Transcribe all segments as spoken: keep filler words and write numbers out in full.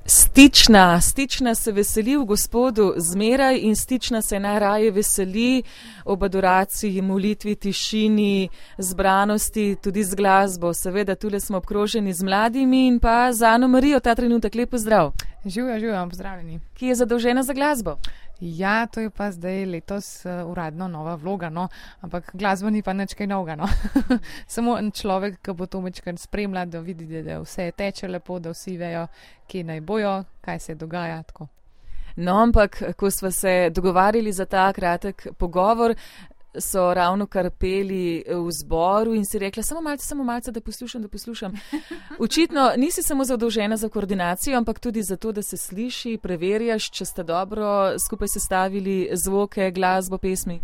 Stična, stična se veseli v Gospodu zmeraj in stična se najraje veseli ob adoraciji, molitvi, tišini, zbranosti, tudi z glasbo. Seveda, tule smo obkroženi z mladimi in pa z Ano Marijo ta trenutek. Lep pozdrav. Živijo, živijo, pozdravljeni. Ki je zadolžena za glasbo? Ja, to je pa zdaj letos uh, uradno nova vloga, no, ampak glasba ni pa nič kaj novega, no. Samo en človek, ki bo to mečkaj spremlja, da vidi, da vse teče lepo, da vsi vejo, kje naj bojo, kaj se dogaja, tako. No, ampak, ko smo se dogovarjali za ta kratek pogovor, so ravno kar peli v zboru in si rekla, samo malce, samo malce, da poslušam, da poslušam. Očitno nisi samo zadolžena za koordinacijo, ampak tudi za to, da se sliši, preverjaš, če ste dobro skupaj sestavili zvoke, glasbo, pesmi.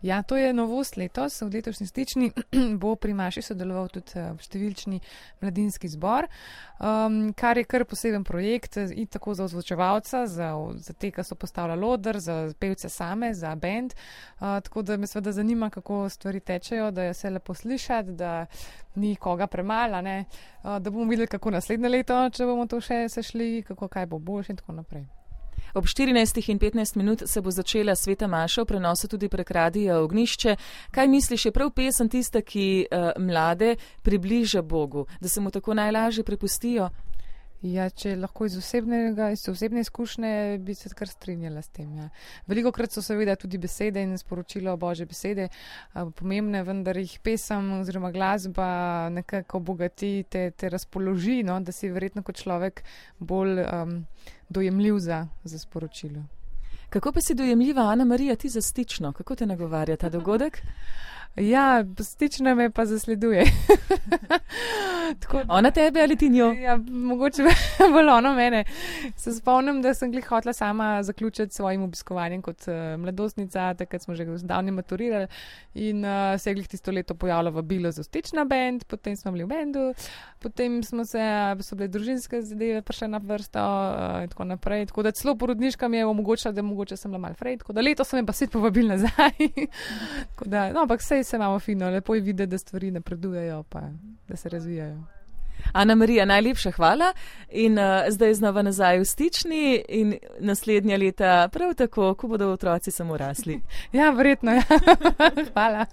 Ja, to je novost letos. V letošnji stični bo pri Maši sodeloval tudi številčni mladinski zbor, um, kar je kar poseben projekt in tako za ozvočevalca, za, za te, ki so postavljali oder, za pevce same, za band. Uh, tako da me seveda zanima, kako stvari tečejo, da je vse lepo slišati, da ni koga premala, ne? Uh, da bomo videli, kako naslednje leto, če bomo to še sešli, kako kaj bo boljše in tako naprej. Ob štirinajstih in petnajst minut se bo začela Sveta maša v prenosu tudi prek Radia Ognjišče. Kaj misliš, je prav pesem tista, ki uh, mlade približa Bogu, da se mu tako najlažje prepustijo? Ja, če lahko iz osebnega, iz osebne izkušnje, bi se kar strinjala s tem. Ja. Velikokrat so seveda tudi besede in sporočilo Božje besede uh, pomembne, vendar jih pesem oziroma glasba nekako obogati, te, te razpoloži, no, da si verjetno kot človek bolj um, dojemljiv za, za sporočilo. Kako pa si dojemljiva, Ana Marija, ti za stično? Kako te nagovarja ta dogodek? Ja, stična me pa zasleduje. Tako, ona tebe ali ti njo? Ja, mogoče bolj ono mene. Se spomnim, da sem glih hotela sama zaključiti svojim obiskovanjem kot uh, mladostnica, takrat smo že zdavni maturirali in uh, se je glih tisto leto pojavila vabilo za stična band, potem smo bili v bandu, potem smo se, so bile družinske zadeve prišle na vrsto uh, in tako naprej. Tako da celo porodniška mi je omogočila, da mogoče sem bila malo frej, tako da leto so me pa spet povabili nazaj. Tako da, no, ampak sej se imamo fino, lepo je videti, da stvari napredujejo, pa da se razvijajo. Ana Marija, najlepša hvala in uh, zdaj znova nazaj v stični in naslednja leta prav tako, ko bodo otroci samo rasli. Ja, verjetno, ja. Hvala.